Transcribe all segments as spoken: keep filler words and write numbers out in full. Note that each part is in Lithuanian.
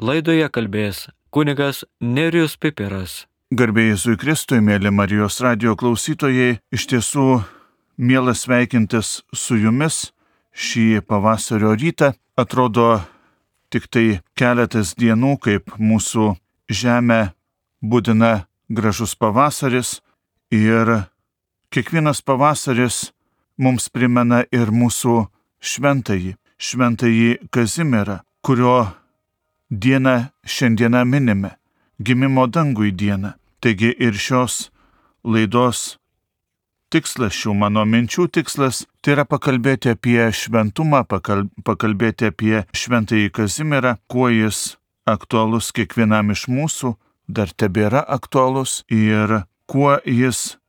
Laidoje kalbės kunigas Nerijus Pipiras. Garbė Jėzui Kristui, mėly Marijos radijo klausytojai, iš tiesų mielas sveikintis su jumis šį pavasario rytą. Atrodo tik tai keletas dienų, kaip mūsų žemę budina gražus pavasaris, ir kiekvienas pavasaris mums primena ir mūsų šventąjį, šventąjį Kazimierą, kurio dieną šiandieną minime, gimimo dangui dieną. Taigi ir šios laidos tikslas, šių mano minčių tikslas, tai yra pakalbėti apie šventumą, pakal, pakalbėti apie šventąjį Kazimierą, kuo jis aktualus kiekvienam iš mūsų, dar tebėra aktualus, ir kuo jis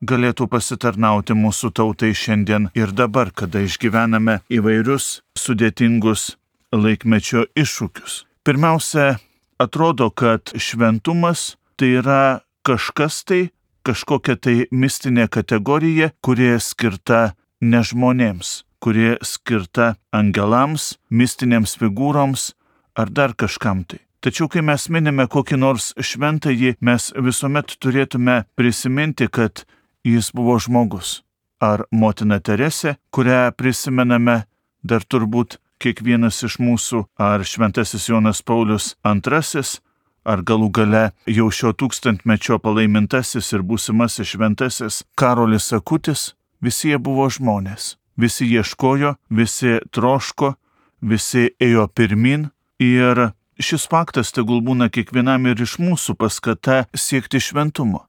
galėtų pasitarnauti mūsų tautai šiandien ir dabar, kada išgyvename įvairius sudėtingus laikmečio iššūkius. Pirmiausia, atrodo, kad šventumas tai yra kažkas tai, kažkokia tai mistinė kategorija, kuri skirta ne žmonėms, kuri skirta angelams, mistinėms figūroms ar dar kažkam tai. Tačiau, kai mes minime kokį nors šventąjį, mes visuomet turėtume prisiminti, kad jis buvo žmogus. Ar motina Teresė, kurią prisimename dar turbūt kiekvienas iš mūsų, ar šventasis Jonas Paulius antrasis, ar galų gale jau šio tūkstantmečio palaimintasis ir būsimasis šventasis Karolis Akutis, visi jie buvo žmonės. Visi ieškojo, visi troško, visi ėjo pirmin, ir šis faktas tegul būna kiekvienam ir iš mūsų paskata siekti šventumo.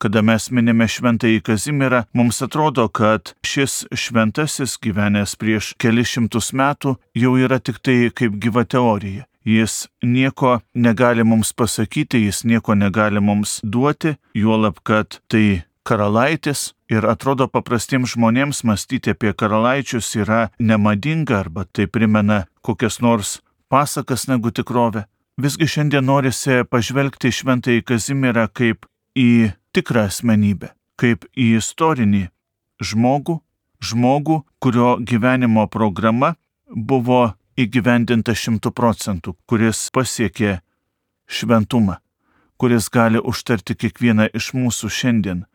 Kada mes minime šventąjį Kazimierą, mums atrodo, kad šis šventasis, gyvenęs prieš kelis šimtus metų, jau yra tik tai kaip gyva teorija. Jis nieko negali mums pasakyti, jis nieko negali mums duoti, juolab, kad tai karalaitis, ir atrodo paprastiems žmonėms mąstyti apie karalaičius yra nemadinga, arba tai primena kokias nors pasakas negu tikrovę. Visgi šiandien norisi pažvelgti šventąjį Kazimierą kaip į tikrą asmenybę, kaip į istorinį žmogų, žmogų, kurio gyvenimo programa buvo įgyvendinta šimtų procentų, kuris pasiekė šventumą, kuris gali užtarti kiekvieną iš mūsų šiandien.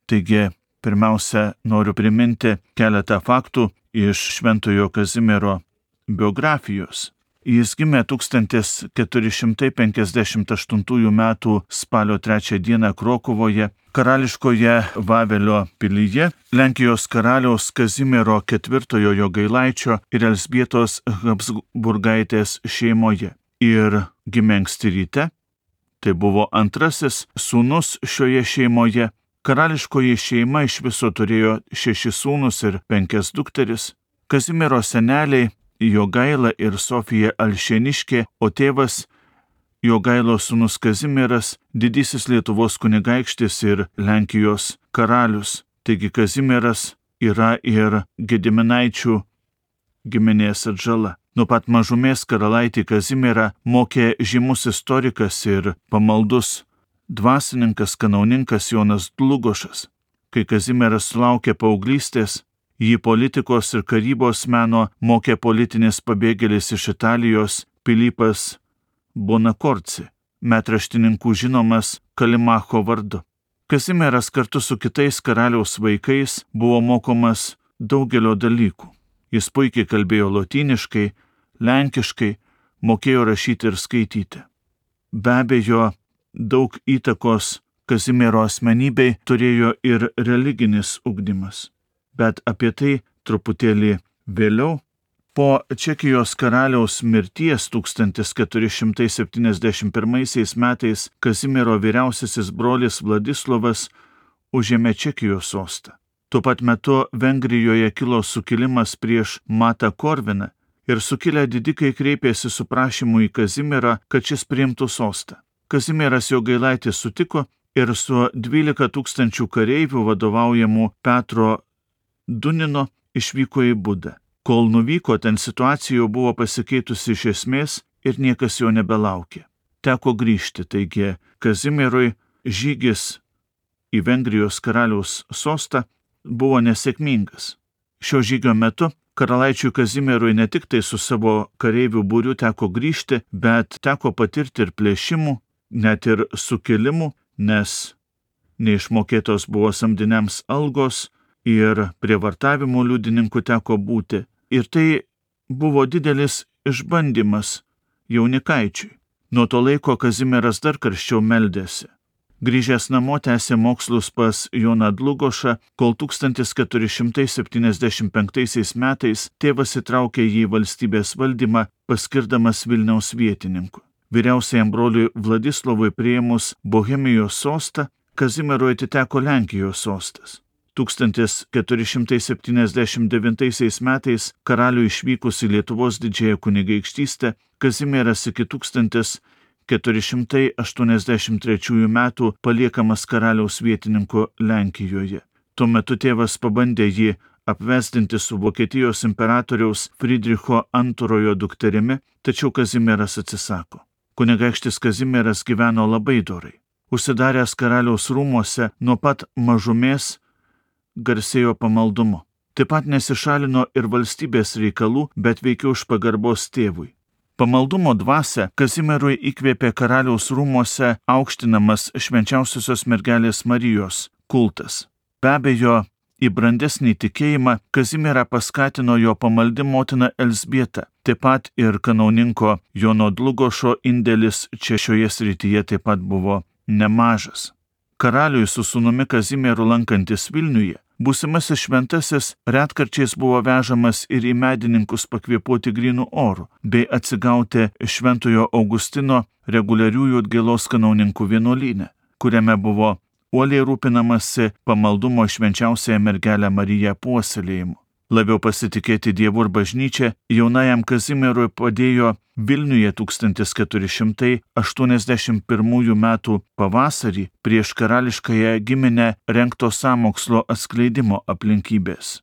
Taigi, pirmiausia, noriu priminti keletą faktų iš šventojo Kazimiero biografijos. Jis gimė tūkstantis keturi šimtai penkiasdešimt aštuntųjų metų spalio trečią dieną Krokuvoje, karališkoje Vavelio pilyje, Lenkijos karaliaus Kazimiero ketvirtojo Jogailaičio ir Elzbietos Habsburgaitės šeimoje. Ir gimė anksti ryte, tai buvo antrasis sūnus šioje šeimoje. Karališkoji šeima iš viso turėjo šešis sūnus ir penkias dukteris. Kazimiero seneliai Jogaila ir Sofija Alšėniškė, o tėvas Jogailos sūnus Kazimieras, didysis Lietuvos kunigaikštis ir Lenkijos karalius. Taigi Kazimieras yra ir Gediminaičių giminės atžala. Nuo pat mažumės karalaitį Kazimierą mokė žymus istorikas ir pamaldus dvasininkas, kanauninkas Jonas Dlugošas. Kai Kazimieras sulaukė paauglystės, jį politikos ir karybos meno mokė politinis pabėgėlis iš Italijos Pilypas Bonakorci, metraštininkų žinomas Kalimacho vardu. Kazimieras kartu su kitais karaliaus vaikais buvo mokomas daugelio dalykų. Jis puikiai kalbėjo lotyniškai, lenkiškai, mokėjo rašyti ir skaityti. Be abejo, daug įtakos Kazimiero asmenybei turėjo ir religinis ugdymas. Bet apie tai truputėlį vėliau. Po Čekijos karaliaus mirties tūkstantis keturi šimtai septyniasdešimt pirmaisiais metais Kazimiero vyriausiasis brolis Vladislovas užėmė Čekijos sostą. Tuo pat metu Vengrijoje kilo sukilimas prieš Matą Korviną ir sukilę didikai kreipėsi su prašymu į Kazimierą, kad šis priimtų sostą. Kazimieras Jogailaitis sutiko ir su dvylika tūkstančių kareivių vadovaujamų Petro Dunino išvyko į Budą. Kol nuvyko, ten situacija jau buvo pasikeitusi iš esmės ir niekas jo nebelaukė. Teko grįžti, taigi Kazimierui žygis į Vengrijos karaliaus sostą buvo nesėkmingas. Šio žygio metu Karalaičiui Kazimierui ne tik tai su savo kareivių būriu teko grįžti, bet teko patirti ir plėšimų, net ir sukilimų, nes neišmokėtos buvo samdiniams algos ir prievartavimo liudininkų teko būti. Ir tai buvo didelis išbandymas jaunikaičiui. Nuo to laiko Kazimieras dar karščiau meldėsi. Grįžęs namo tęsė mokslus pas Joną Dlugošą, kol tūkstantis keturi šimtai septyniasdešimt penktaisiais metais tėvas įtraukė jį į valstybės valdymą, paskirdamas Vilniaus vietininku. Vyriausiajam broliui Vladislovui priėmus Bohemijos sostą, Kazimierui atiteko Lenkijos sostas. tūkstantis keturi šimtai septyniasdešimt devintaisiais metais karaliui išvykus į Lietuvos didžiąją kunigaikštystę, Kazimieras iki tūkstantis keturi šimtai aštuoniasdešimt trečiųjų metų paliekamas karaliaus vietininku Lenkijoje. Tuo metu tėvas pabandė jį apvesdinti su Vokietijos imperatoriaus Friedricho antrojo dukterimi, tačiau Kazimieras atsisako. Kunigaikštis Kazimieras gyveno labai dorai. Užsidaręs karaliaus rūmuose nuo pat mažumės garsėjo pamaldumu. Taip pat nesišalino ir valstybės reikalų, bet veikiau iš pagarbos tėvui. Pamaldumo dvasia Kazimierui įkvėpė karaliaus rūmuose aukštinamas švenčiausiosios mergelės Marijos kultas. Be abejo, į brandesnį tikėjimą Kazimierą paskatino jo pamaldi motina Elzbieta. Taip pat ir kanauninko Jono Dlugošo indėlis čia šioje srityje taip pat buvo nemažas. Karaliui su sūnumi Kazimieru lankantis Vilniuje, būsimasis šventasis retkarčiais buvo vežamas ir į medininkus pakvėpuoti grynų orų, bei atsigauti Šventojo Augustino reguliariųjų atgailos kanauninkų vienuolyne, kuriame buvo uoliai rūpinamasi pamaldumo švenčiausiąją mergelę Mariją puoselėjimu. Labiau pasitikėti Dievu ir bažnyčia jaunajam Kazimierui padėjo Vilniuje tūkstantis keturi šimtai aštuoniasdešimt pirmųjų metų pavasarį prieš karališkąją giminę rengto sąmokslo atskleidimo aplinkybės.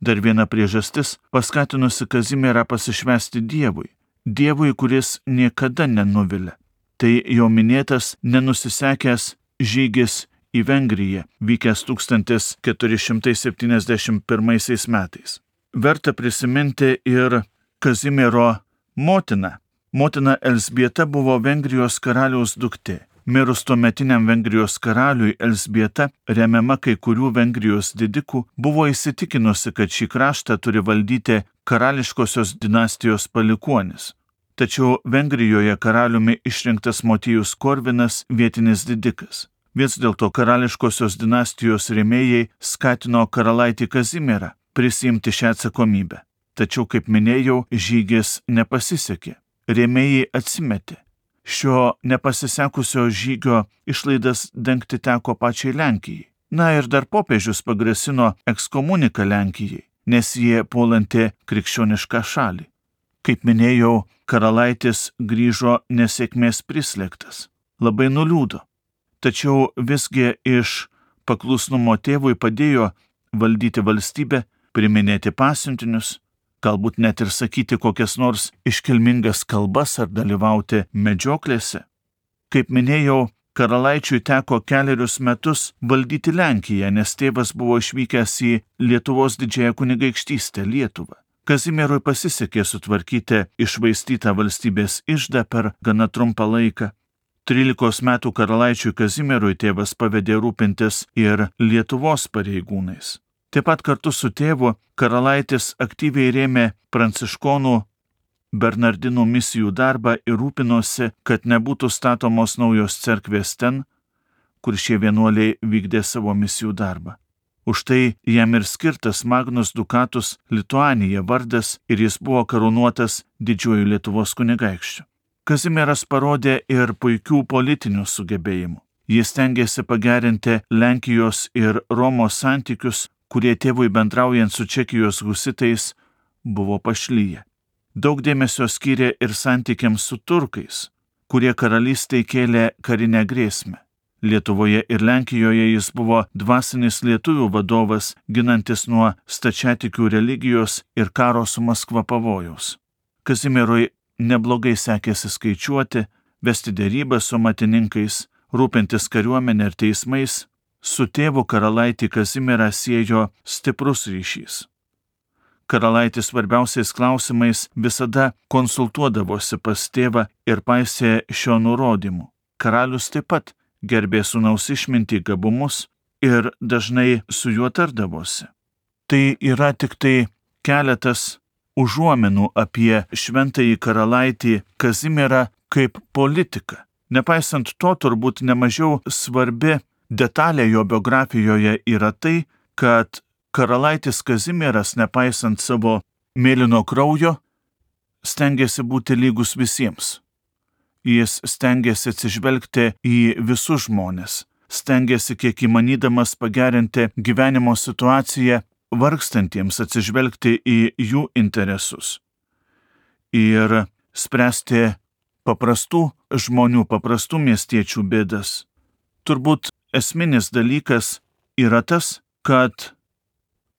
Dar viena priežastis paskatinusi Kazimierą pasišvęsti Dievui. Dievui, kuris niekada nenuvilia. Tai jau minėtas nenusisekęs žygis į Vengriją, vykęs tūkstantis keturi šimtai septyniasdešimt pirmaisiais metais. Verta prisiminti ir Kazimiero motiną. Motina Elzbieta buvo Vengrijos karaliaus duktė. Mirus tuometiniam Vengrijos karaliui, Elzbieta, remiama kai kurių Vengrijos didikų, buvo įsitikinusi, kad šį kraštą turi valdyti karališkosios dinastijos palikuonis. Tačiau Vengrijoje karaliumi išrinktas Motiejus Korvinas vietinis didikas. Vis dėlto karališkosios dinastijos rėmėjai skatino karalaitį Kazimierą prisiimti šią atsakomybę. Tačiau, kaip minėjau, žygis nepasisekė. Rėmėjai atsimetė. Šio nepasisekusio žygio išlaidas dengti teko pačiai Lenkijai. Na ir dar popiežius pagrasino ekskomuniką Lenkijai, nes jie puolanti krikščionišką šalį. Kaip minėjau, karalaitis grįžo nesėkmės prislėgtas. Labai nuliūdo. Tačiau visgi iš paklusnumo tėvui padėjo valdyti valstybę, priminėti pasiuntinius, galbūt net ir sakyti kokias nors iškilmingas kalbas ar dalyvauti medžioklėse. Kaip minėjau, karalaičiui teko kelerius metus valdyti Lenkiją, nes tėvas buvo išvykęs į Lietuvos didžiąją kunigaikštystę Lietuvą. Kazimierui pasisekė sutvarkyti iššvaistytą valstybės iždą per gana trumpą laiką. Trylikos metų karalaičiui Kazimierui tėvas pavedė rūpintis ir Lietuvos pareigūnais. Taip pat kartu su tėvu karalaitis aktyviai rėmė pranciškonų Bernardinų misijų darbą ir rūpinosi, kad nebūtų statomos naujos cerkvės ten, kur šie vienuoliai vykdė savo misijų darbą. Už tai jam ir skirtas Magnus Dukatus Lituanija vardas ir jis buvo karūnuotas didžiuoju Lietuvos kunigaikščiu. Kazimieras parodė ir puikių politinių sugebėjimų. Jis stengiasi pagerinti Lenkijos ir Romos santykius, kurie tėvui bendraujant su Čekijos husitais buvo pašlyję. Daug dėmesio skyrė ir santykiams su turkais, kurie karalystei kėlė karinę grėsmę. Lietuvoje ir Lenkijoje jis buvo dvasinis lietuvių vadovas, ginantis nuo stačiatikių religijos ir karo su Maskva pavojaus. Kazimierui neblogai sekėsi skaičiuoti, vesti derybas su matininkais, rūpintis kariuomenė ir teismais. Su tėvu karalaitį Kazimierą siejo stiprus ryšys. karalaitis svarbiausiais klausimais visada konsultuodavosi pas tėvą ir paisė šio nurodymų. Karalius taip pat gerbė sūnaus išmintį, gabumus ir dažnai su juo tardavosi. Tai yra tik tai keletas užuominų apie šventąjį karalaitį Kazimierą kaip politiką. Nepaisant to, turbūt nemažiau svarbi detalė jo biografijoje yra tai, kad karalaitis Kazimieras, nepaisant savo mėlyno kraujo, stengiasi būti lygus visiems. Jis stengiasi atsižvelgti į visus žmones, stengiasi kiek įmanydamas pagerinti gyvenimo situaciją vargstantiems, atsižvelgti į jų interesus ir spręsti paprastų žmonių, paprastų miestiečių bėdas. Turbūt esminis dalykas yra tas, kad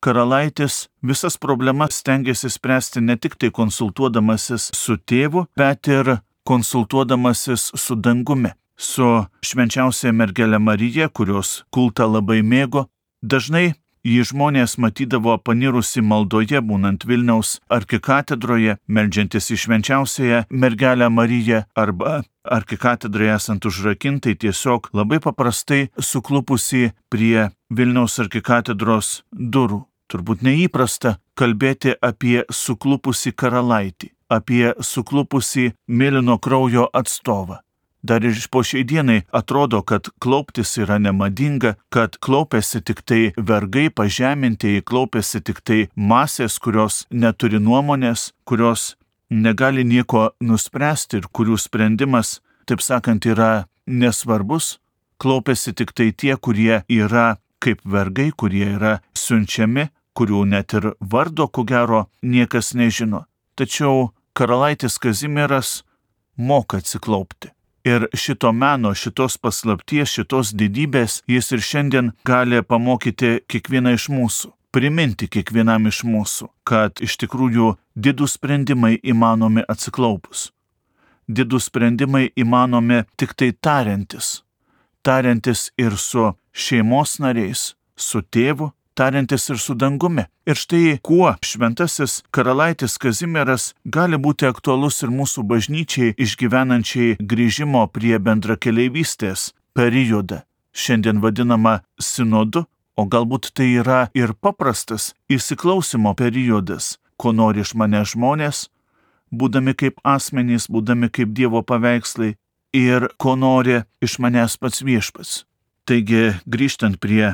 karalaitis visas problemas stengiasi spręsti ne tik tai konsultuodamasis su tėvu, bet ir konsultuodamasis su dangumi, su švenčiausia mergele Marija, kurios kultą labai mėgo. Dažnai jį žmonės matydavo panirusi maldoje, būnant Vilniaus arkikatedroje, meldžiantis į švenčiausiąją mergelę Mariją, arba arkikatedroje esant užrakintai tiesiog labai paprastai suklupusi prie Vilniaus arkikatedros durų. Turbūt neįprasta kalbėti apie suklupusį karalaitį, apie suklupusį mėlyno kraujo atstovą. Dar ir po šiai dienai atrodo, kad klauptis yra nemadinga, kad klaupiasi tik tai vergai, pažemintieji, klaupiasi tik tai masės, kurios neturi nuomonės, kurios negali nieko nuspręsti ir kurių sprendimas, taip sakant, yra nesvarbus. Klaupiasi tik tai tie, kurie yra kaip vergai, kurie yra siunčiami, kurių net ir vardo, ko gero, niekas nežino. Tačiau karalaitis Kazimieras moka atsiklaupti. Ir šito meno, šitos paslapties, šitos didybės jis ir šiandien gali pamokyti kiekvieną iš mūsų, priminti kiekvienam iš mūsų, kad iš tikrųjų didūs sprendimai įmanomi atsiklaupus. Didūs sprendimai įmanomi tik tai tariantis. Tariantis ir su šeimos nariais, su tėvu, tariantis ir su dangumi. Ir štai kuo šventasis karalaitis Kazimieras gali būti aktualus ir mūsų bažnyčiai išgyvenančiai grįžimo prie bendrakeleivystės periodą, šiandien vadinama sinodu, o galbūt tai yra ir paprastas įsiklausimo periodas, ko nori iš mane žmonės, būdami kaip asmenys, būdami kaip Dievo paveikslai, ir ko nori iš manęs pats viešpats. Taigi, grįžtant prie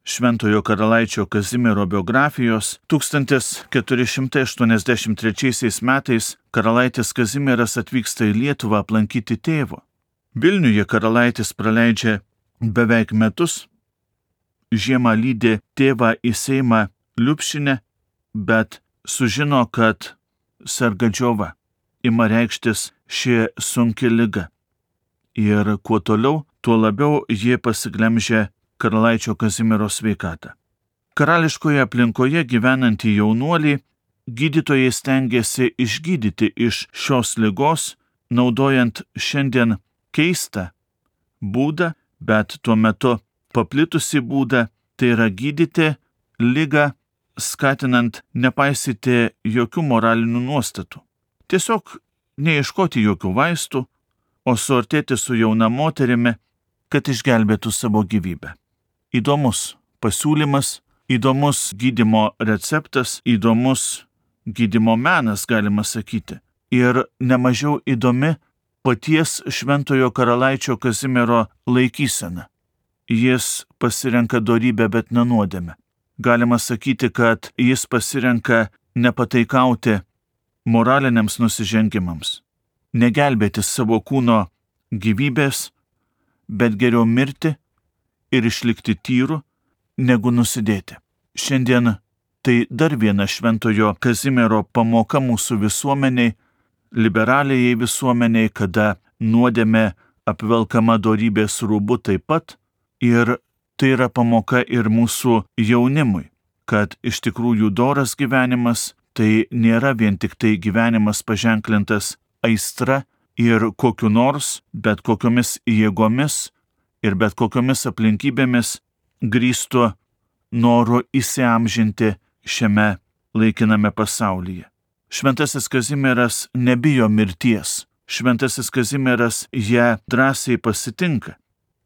šventojo karalaičio Kazimiero biografijos, tūkstantis keturi šimtai aštuoniasdešimt trečiaisiais metais karalaitis Kazimieras atvyksta į Lietuvą aplankyti tėvo. Vilniuje karalaitis praleidžia beveik metus, žiemą lydi tėvą į Seimą Liupšinę, bet sužino, kad serga džiova, ima reikštis ši sunki liga. Ir kuo toliau, tuo labiau jie pasiglemžia karalaičio Kazimiero sveikatą. Karališkoje aplinkoje gyvenantį jaunuolį gydytojai stengiasi išgydyti iš šios ligos, naudojant šiandien keistą būdą, bet tuo metu paplitusi būdą, tai yra gydyti ligą, skatinant nepaisyti jokių moralinių nuostatų. Tiesiog neieškoti jokių vaistų, o suartėti su jauna moterimi, kad išgelbėtų savo gyvybę. Įdomus pasiūlymas, įdomus gydymo receptas, įdomus gydymo menas, galima sakyti. Ir nemažiau įdomi paties šventojo karalaičio Kazimiero laikysena. Jis pasirenka dorybę, bet nenuodėmę. Galima sakyti, kad jis pasirenka nepataikauti moraliniams nusižengimams, negelbėti savo kūno gyvybės, bet geriau mirti ir išlikti tyru, negu nusidėti. Šiandien tai dar viena šventojo Kazimiero pamoka mūsų visuomeniai, liberaliai visuomeniai, kada nuodėmė apvelkama dorybės rūbu taip pat, ir tai yra pamoka ir mūsų jaunimui, kad iš tikrųjų doras gyvenimas tai nėra vien tik tai gyvenimas paženklintas aistra ir kokiu nors, bet kokiomis jėgomis ir bet kokiomis aplinkybėmis grįstu noru įsiamžinti šiame laikiname pasaulyje. Šventasis Kazimieras nebijo mirties. Šventasis Kazimieras ją drąsiai pasitinka.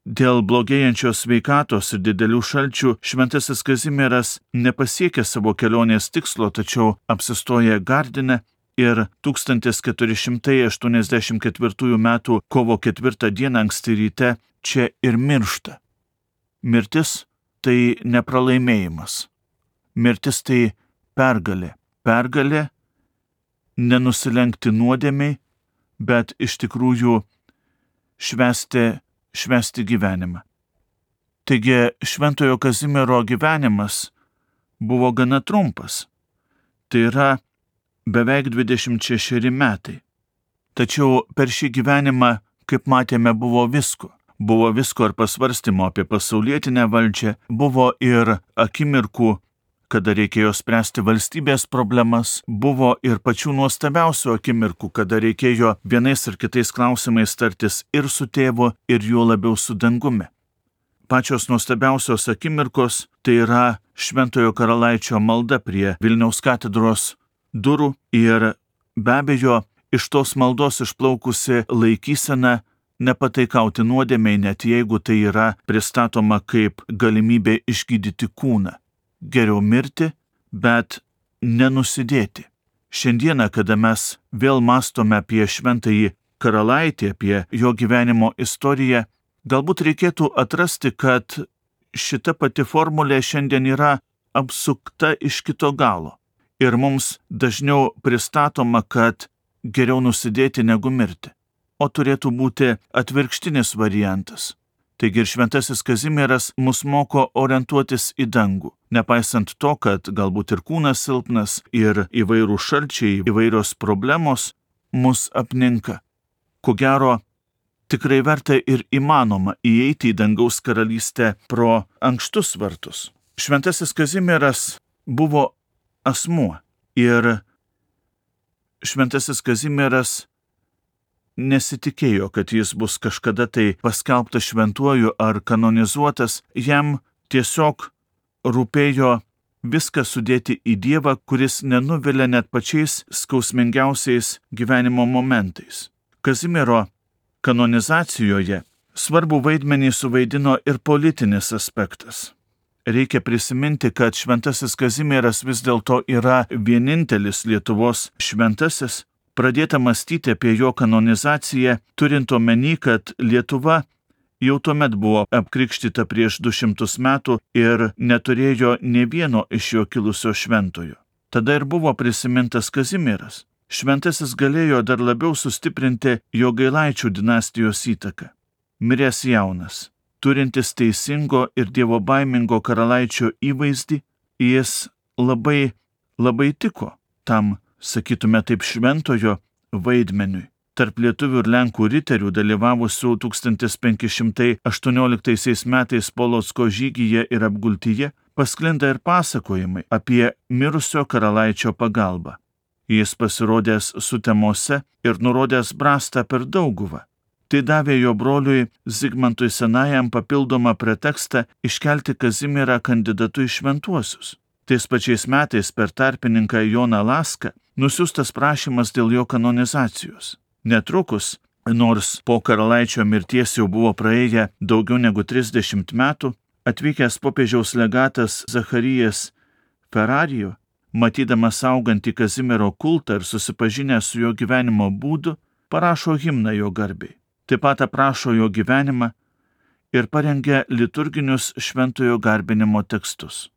Dėl blogėjančios sveikatos ir didelių šalčių šventasis Kazimieras nepasiekė savo kelionės tikslo, tačiau apsistoja Gardine ir tūkstantis keturi šimtai aštuoniasdešimt ketvirtųjų metų kovo ketvirtą dieną anksti ryte čia ir miršta. Mirtis tai nepralaimėjimas. Mirtis tai pergalė. Pergalė nenusilenkti nuodėmei, bet iš tikrųjų švęsti, švęsti gyvenimą. Taigi šventojo Kazimiero gyvenimas buvo gana trumpas. Tai yra beveik dvidešimt šešeri metai. Tačiau per šį gyvenimą, kaip matėme, buvo visko. Buvo visko ir pasvarstymo apie pasaulietinę valdžią, buvo ir akimirkų, kada reikėjo spręsti valstybės problemas, buvo ir pačių nuostabiausių akimirkų, kada reikėjo vienais ar kitais klausimais tartis ir su tėvu, ir juo labiau su dangumi. Pačios nuostabiausios akimirkos tai yra Šventojo Karalaičio malda prie Vilniaus katedros durų ir be abejo iš tos maldos išplaukusi laikysena nepataikauti nuodėmei, net jeigu tai yra pristatoma kaip galimybė išgydyti kūną. Geriau mirti, bet nenusidėti. Šiandieną, kada mes vėl mąstome apie Šventąjį Karalaitį, apie jo gyvenimo istoriją, galbūt reikėtų atrasti, kad šita pati formulė šiandien yra apsukta iš kito galo. Ir mums dažniau pristatoma, kad geriau nusidėti negu mirti, o turėtų būti atvirkštinis variantas. Taigi ir šventasis Kazimieras mus moko orientuotis į dangų, nepaisant to, kad galbūt ir kūnas silpnas, ir įvairūs šalčiai, įvairios problemos mus apninka. Ko gero, tikrai verta ir įmanoma įeiti į dangaus karalystę pro ankštus vartus. Šventasis Kazimieras buvo asmuo ir šventasis Kazimieras nesitikėjo, kad jis bus kažkada tai paskelbtas šventuoju ar kanonizuotas, jam tiesiog rūpėjo viską sudėti į Dievą, kuris nenuvilia net pačiais skausmingiausiais gyvenimo momentais. Kazimiero kanonizacijoje svarbų vaidmenį suvaidino ir politinis aspektas. Reikia prisiminti, kad šventasis Kazimieras vis dėlto yra vienintelis Lietuvos šventasis. Pradėta mąstyti apie jo kanonizaciją, turint omeny, kad Lietuva jau tuomet buvo apkrikštyta prieš du šimtus metų ir neturėjo nė vieno iš jo kilusio šventojo. Tada ir buvo prisimintas Kazimieras. Šventasis galėjo dar labiau sustiprinti Jogailaičių dinastijos įtaką. Miręs jaunas, turintis teisingo ir dievobaimingo karalaičio įvaizdį, jis labai, labai tiko tam, sakytume taip, šventojo vaidmeniui. Tarp lietuvių ir lenkų riterių dalyvavusių tūkstantis penki šimtai aštuonioliktaisiais metais Polocko žygyje ir apgultyje pasklinda ir pasakojimai apie mirusio karalaičio pagalbą. Jis pasirodęs Sutemose ir nurodęs brastą per Dauguvą. Tai davė jo broliui Zigmantui Senajam papildomą pretekstą iškelti Kazimierą kandidatu į šventuosius. Tais pačiais metais per tarpininką Joną Laską nusiųstas prašymas dėl jo kanonizacijos. Netrukus, nors po karalaičio mirties jau buvo praėję daugiau negu trisdešimt metų, atvykęs popiežiaus legatas Zacharijas Ferrarijo, matydamas augantį Kazimiero kultą ir susipažinęs su jo gyvenimo būdu, parašo himną jo garbei. Taip pat aprašo jo gyvenimą ir parengia liturginius šventojo garbinimo tekstus.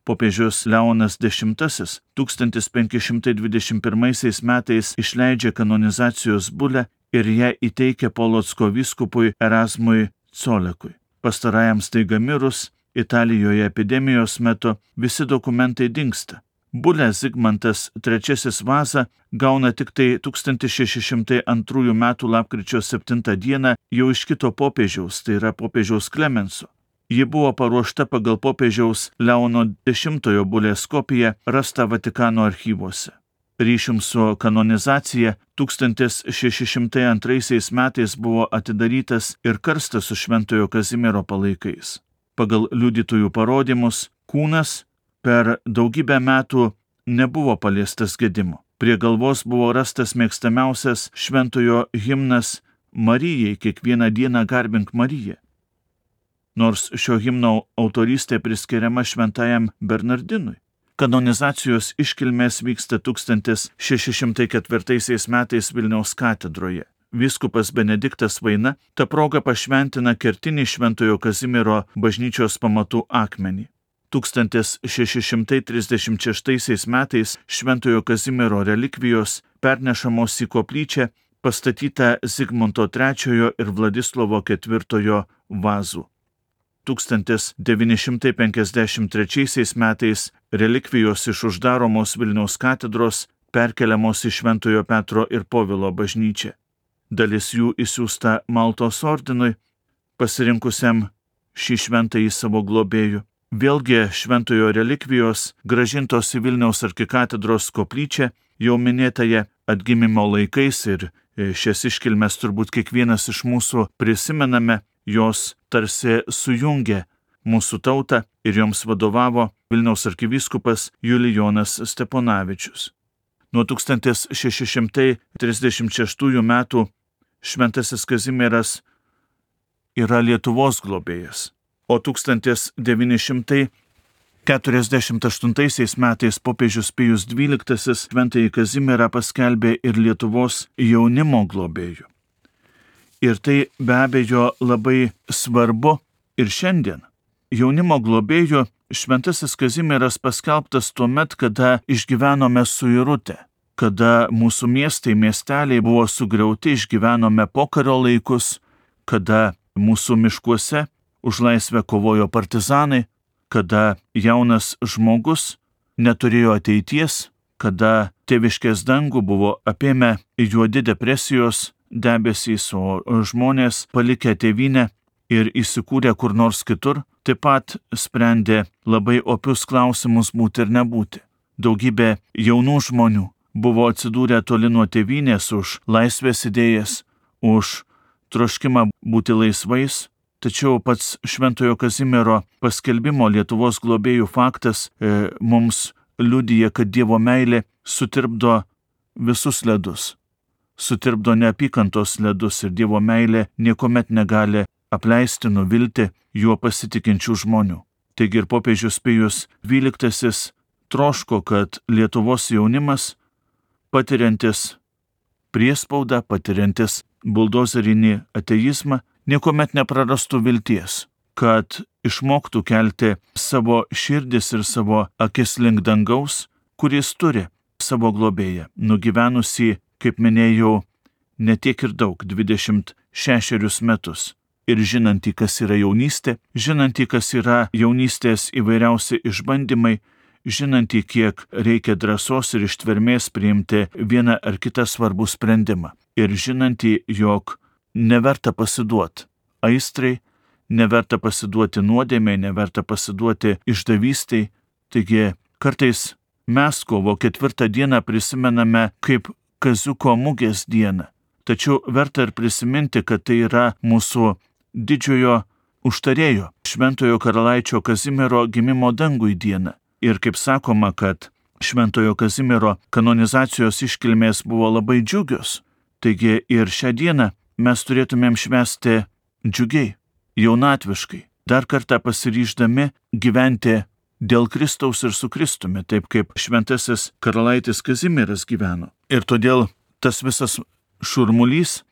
Popiežius Leonas X tūkstantis penki šimtai dvidešimt pirmaisiais metais išleidžia kanonizacijos bulę ir ją įteikia Polocko vyskupui Erasmui Colekui. Pastarajam staiga mirus, Italijoje epidemijos metu visi dokumentai dingsta. Bulę Zigmantas trečiasis Vaza gauna tik tai tūkstantis šeši šimtai antrųjų metų lapkričio septintą dieną jau iš kito popiežiaus, tai yra popiežiaus Klemenso. Ji buvo paruošta pagal popiežiaus Leono dešimtojo bulės kopiją rastą Vatikano archyvuose. Ryšium su kanonizacija tūkstantis šeši šimtai antraisiais metais buvo atidarytas ir karstas su šventojo Kazimiero palaikais. Pagal liudytojų parodymus, kūnas per daugybę metų nebuvo paliestas gedimo. Prie galvos buvo rastas mėgstamiausias šventojo himnas Marijai, kiekvieną dieną garbink Mariją. Nors šio himno autorystė priskiriama šventajam Bernardinui. Kanonizacijos iškilmės vyksta tūkstantis šeši šimtai ketvirtaisiais metais Vilniaus katedroje. Vyskupas Benediktas Vaina ta proga pašventina kertinį Šventojo Kazimiero bažnyčios pamatų akmenį. tūkstantis šeši šimtai trisdešimt šeštaisiais metais Šventojo Kazimiero relikvijos pernešamos į koplyčią pastatytą Zigmanto trečiojo ir Vladislovo ketvirtojo vazų. tūkstantis devyni šimtai penkiasdešimt trečiaisiais metais relikvijos iš uždaromos Vilniaus katedros perkeliamos į Šventojo Petro ir Povilo bažnyčią. Dalis jų išsiųsta Maltos ordinui, pasirinkusiam šį šventąjį savo globėjų. Vėlgi šventojo relikvijos grąžintos į Vilniaus arkikatedros koplyčią jau minėtąją atgimimo laikais ir šias iškilmes turbūt kiekvienas iš mūsų prisimename, jos tarsi sujungė mūsų tautą ir joms vadovavo Vilniaus arkivyskupas Julijonas Steponavičius. Nuo tūkstantis šeši šimtai trisdešimt šeštųjų metų Šventasis Kazimieras yra Lietuvos globėjas, o tūkstantis devyni šimtai keturiasdešimt aštuntaisiais metais popiežius Pijus dvyliktasis Šventąjį Kazimierą paskelbė ir Lietuvos jaunimo globėju. Ir tai be abejo labai svarbu ir šiandien. Jaunimo globėju Šventasis Kazimieras paskelbtas tuo met, kada išgyvenome suirutę, kada mūsų miestai, miesteliai buvo sugriauti, išgyvenome pokario laikus, kada mūsų miškuose už laisvę kovojo partizanai, kada jaunas žmogus neturėjo ateities, kada tėviškės dangų buvo apėmę juodi depresijos debesys, o žmonės palikę tėvynę ir įsikūrę kur nors kitur, taip pat sprendė labai opius klausimus būti ir nebūti. Daugybė jaunų žmonių buvo atsidūrę toli nuo tėvynės už laisvės idėjas, už troškimą būti laisvais, tačiau pats Šventojo Kazimiero paskelbimo Lietuvos globėjų faktas e, mums liudija, kad Dievo meilė sutirpdo visus ledus, sutirpdo neapykantos ledus ir Dievo meilė niekuomet negali apleisti, nuvilti juo pasitikinčių žmonių. Taigi ir popiežius Pijus dvyliktasis troško, kad Lietuvos jaunimas, patiriantis priespaudą, patiriantis buldozerinį ateizmą, niekuomet neprarastų vilties, kad išmoktų kelti savo širdis ir savo akis link dangaus, kuris turi savo globėją, nugyvenusį, kaip minėjau, ne tiek ir daug, dvidešimt šešerius metus. Ir žinantį, kas yra jaunystė, žinantį, kas yra jaunystės įvairiausi išbandymai, žinantį, kiek reikia drąsos ir ištvermės priimti vieną ar kitą svarbų sprendimą. Ir žinantį, jog neverta pasiduoti aistrai, neverta pasiduoti nuodėmei, neverta pasiduoti išdavystiai. Taigi kartais mes kovo ketvirtą dieną prisimename kaip Kaziuko mugės dieną. Tačiau verta ir prisiminti, kad tai yra mūsų didžiojo užtarėjo, Šventojo karalaičio Kazimiero gimimo dangui diena. Ir kaip sakoma, kad Šventojo Kazimiero kanonizacijos iškilmės buvo labai džiugios, taigi ir šią dieną mes turėtumėm švęsti džiugiai, jaunatviškai, dar kartą pasiryždami gyventi dėl Kristaus ir su Kristumi, taip kaip Šventasis karalaitis Kazimieras gyveno. Ir todėl tas visas šurmulys,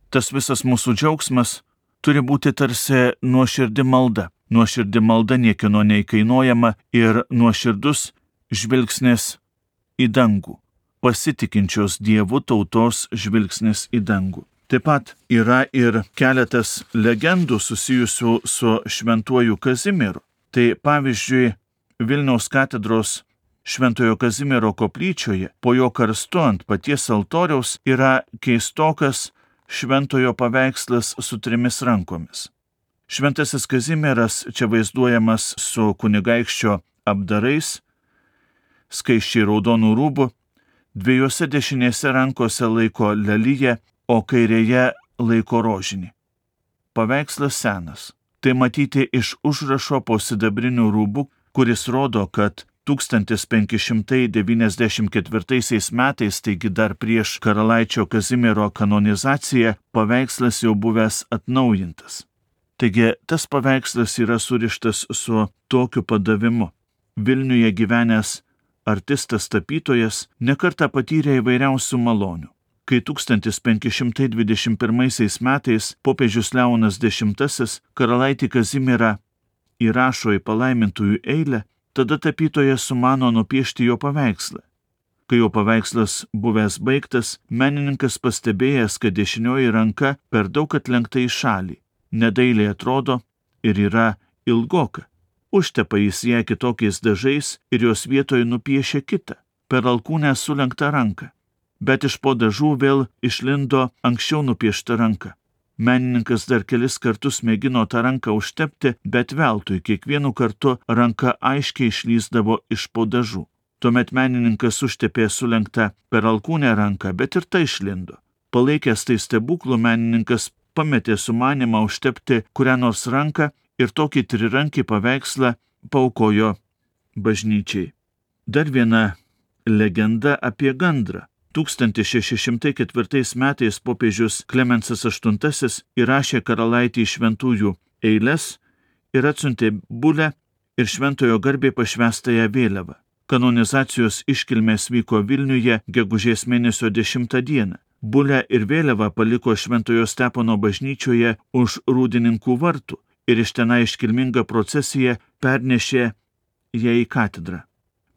tas visas mūsų džiaugsmas turi būti tarsi nuoširdi malda. Nuoširdi malda niekino neįkainuojama ir nuoširdus žvilgsnis į dangų, pasitikinčios Dievu tautos žvilgsnis į dangų. Taip pat yra ir keletas legendų susijusių su Šventuoju Kazimieru. Tai pavyzdžiui, Vilniaus katedros Šventojo Kazimiero koplyčioje po jo karstu ant paties altoriaus yra keistokas Šventojo paveikslas su trimis rankomis. Šventasis Kazimieras čia vaizduojamas su kunigaikščio apdarais, skaisčiai raudonų rūbų, dviejose dešinėse rankose laiko leliją, o kairėje laiko rožinį. Paveikslas senas. Tai matyti iš užrašo po sidabrinių rūbų, kuris rodo, kad tūkstantis penki šimtai devyniasdešimt ketvirtaisiais metais, taigi dar prieš karalaičio Kazimiero kanonizaciją, paveikslas jau buvęs atnaujintas. Taigi tas paveikslas yra surištas su tokiu padavimu. Vilniuje gyvenęs artistas tapytojas nekartą patyrė įvairiausių malonių. Kai tūkstantis penki šimtai dvidešimt pirmaisiais metais popiežius Leonas Dešimtasis karalaitį Kazimierą įrašo į palaimintųjų eilę, tada tapytojas sumano nupiešti jo paveikslą. Kai jo paveikslas buvęs baigtas, menininkas pastebėjęs, kad dešinioji ranka per daug atlenkta į šalį, nedailiai atrodo ir yra ilgoka. Užtepa jis ją kitokiais dažais ir jos vietoje nupiešė kitą, per alkūnę sulenktą ranką. Bet iš po dažų vėl išlindo anksčiau nupiešta ranka. Menininkas dar kelis kartus mėgino tą ranką užtepti, bet veltui kiekvienu kartu ranka aiškiai išlįsdavo iš po dažų. Tuomet menininkas užtepė sulenktą per alkūnę ranką, bet ir tai išlindo. Palaikęs tai stebuklų, menininkas pametė sumanimą užtepti kurią nors ranką ir tokį trirankį paveikslą paaukojo bažnyčiai. Dar viena legenda apie gandrą. tūkstantis šeši šimtai ketvirtais metais popiežius Klemensas aštuntasis įrašė karalaitį šventųjų eiles ir atsiuntė bulę ir šventojo garbei pašvęstąją vėliavą. Kanonizacijos iškilmės vyko Vilniuje gegužės mėnesio dešimtą dieną. Bulę ir vėliavą paliko Šventojo Stepono bažnyčioje už Rūdininkų vartų ir iš tenai iškilmingą procesiją pernešė ją į katedrą.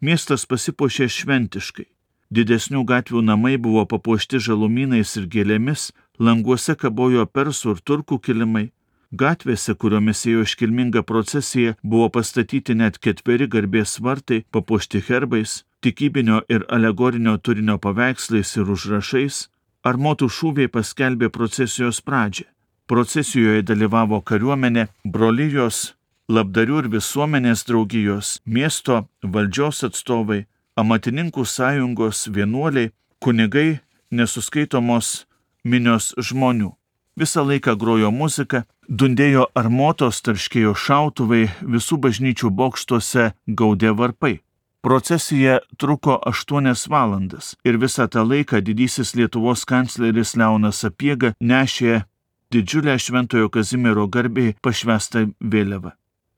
Miestas pasipuošė šventiškai. Didesnių gatvių namai buvo papuošti žalumynais ir gėlėmis, languose kabojo persų ir turkų kilimai. Gatvėse, kuriomis ėjo iškilminga procesija, buvo pastatyti net ketveri garbės vartai, papuošti herbais, tikybinio ir alegorinio turinio paveikslais ir užrašais. Armotų šūviai paskelbė procesijos pradžią. Procesijoje dalyvavo kariuomenė, brolijos, labdarių ir visuomenės draugijos, miesto valdžios atstovai, amatininkų sąjungos, vienuoliai, kunigai, nesuskaitomos minios žmonių. Visą laiką grojo muzika, dundėjo armotos, tarškėjo šautuvai, visų bažnyčių bokštuose gaudė varpai. Procesija truko aštuonias valandas ir visą tą laiką didysis Lietuvos kancleris Leonas Sapiega nešė didžiulę Šventojo Kazimiero garbei pašvęstą vėliavą.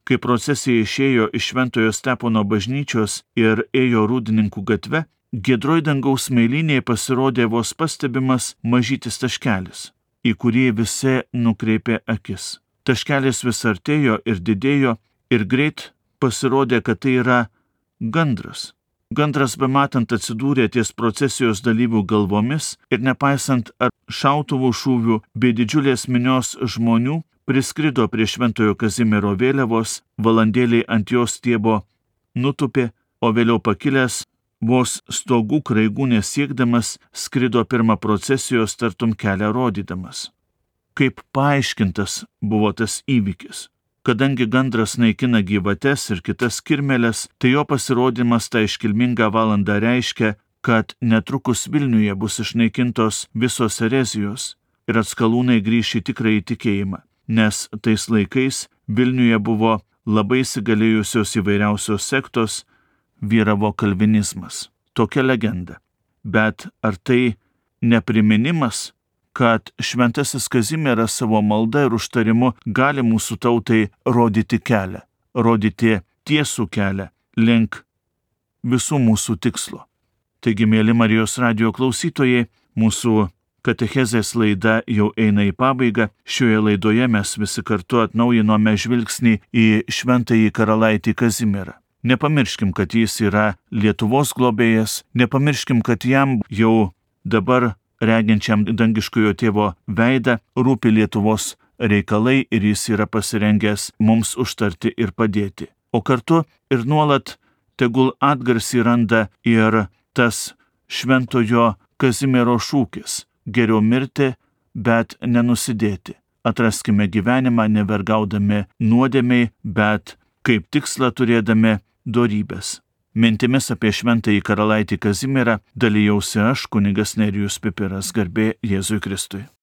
Kai procesija išėjo iš Šventojo Stepono bažnyčios ir ėjo Rūdininkų gatve, giedroj dangaus smėlynėje pasirodė vos pastebimas mažytis taškelis, į kurį visi nukreipė akis. Taškelis vis artėjo ir didėjo ir greit pasirodė, kad tai yra gandras. Gandras bematant atsidūrė ties procesijos dalyvių galvomis ir nepaisant ar šautuvų šūvių bei didžiulės minios žmonių, priskrido prie Šventojo Kazimiero vėliavos, valandėliai ant jos stiebo nutupė, o vėliau pakilęs, vos stogų kraigų nesiekdamas, skrido pirmą procesijos tartum kelią rodydamas. Kaip paaiškintas buvo tas įvykis? Kadangi gandras naikina gyvates ir kitas kirmeles, tai jo pasirodymas tą iškilmingą valandą reiškia, kad netrukus Vilniuje bus išnaikintos visos erezijos ir atskalūnai grįš į tikrąjį tikėjimą, nes tais laikais Vilniuje buvo labai įsigalėjusios įvairiausios sektos, vyravo kalvinizmas. Tokia legenda. Bet ar tai nepriminimas, kad šventasis Kazimieras savo malda ir užtarimu gali mūsų tautai rodyti kelią, rodyti tiesų kelią link visų mūsų tikslo. Taigi, mėly Marijos radijo klausytojai, mūsų katechezės laida jau eina į pabaigą. Šioje laidoje mes visi kartu atnaujinome žvilgsnį į šventąjį karalaitį Kazimierą. Nepamirškim, kad jis yra Lietuvos globėjas, nepamirškim, kad jam jau dabar reginčiam dangiškojo tėvo veidą rūpi Lietuvos reikalai ir jis yra pasirengęs mums užtarti ir padėti. O kartu ir nuolat tegul atgarsį randa ir tas šventojo Kazimiero šūkis – geriau mirti, bet nenusidėti. Atraskime gyvenimą nevergaudami nuodėmiai, bet kaip tikslą turėdami dorybės. Mintimis apie šventąjį karalaitį Kazimierą dalijausi aš, kunigas Nerijus Pipiras, garbė Jėzui Kristui.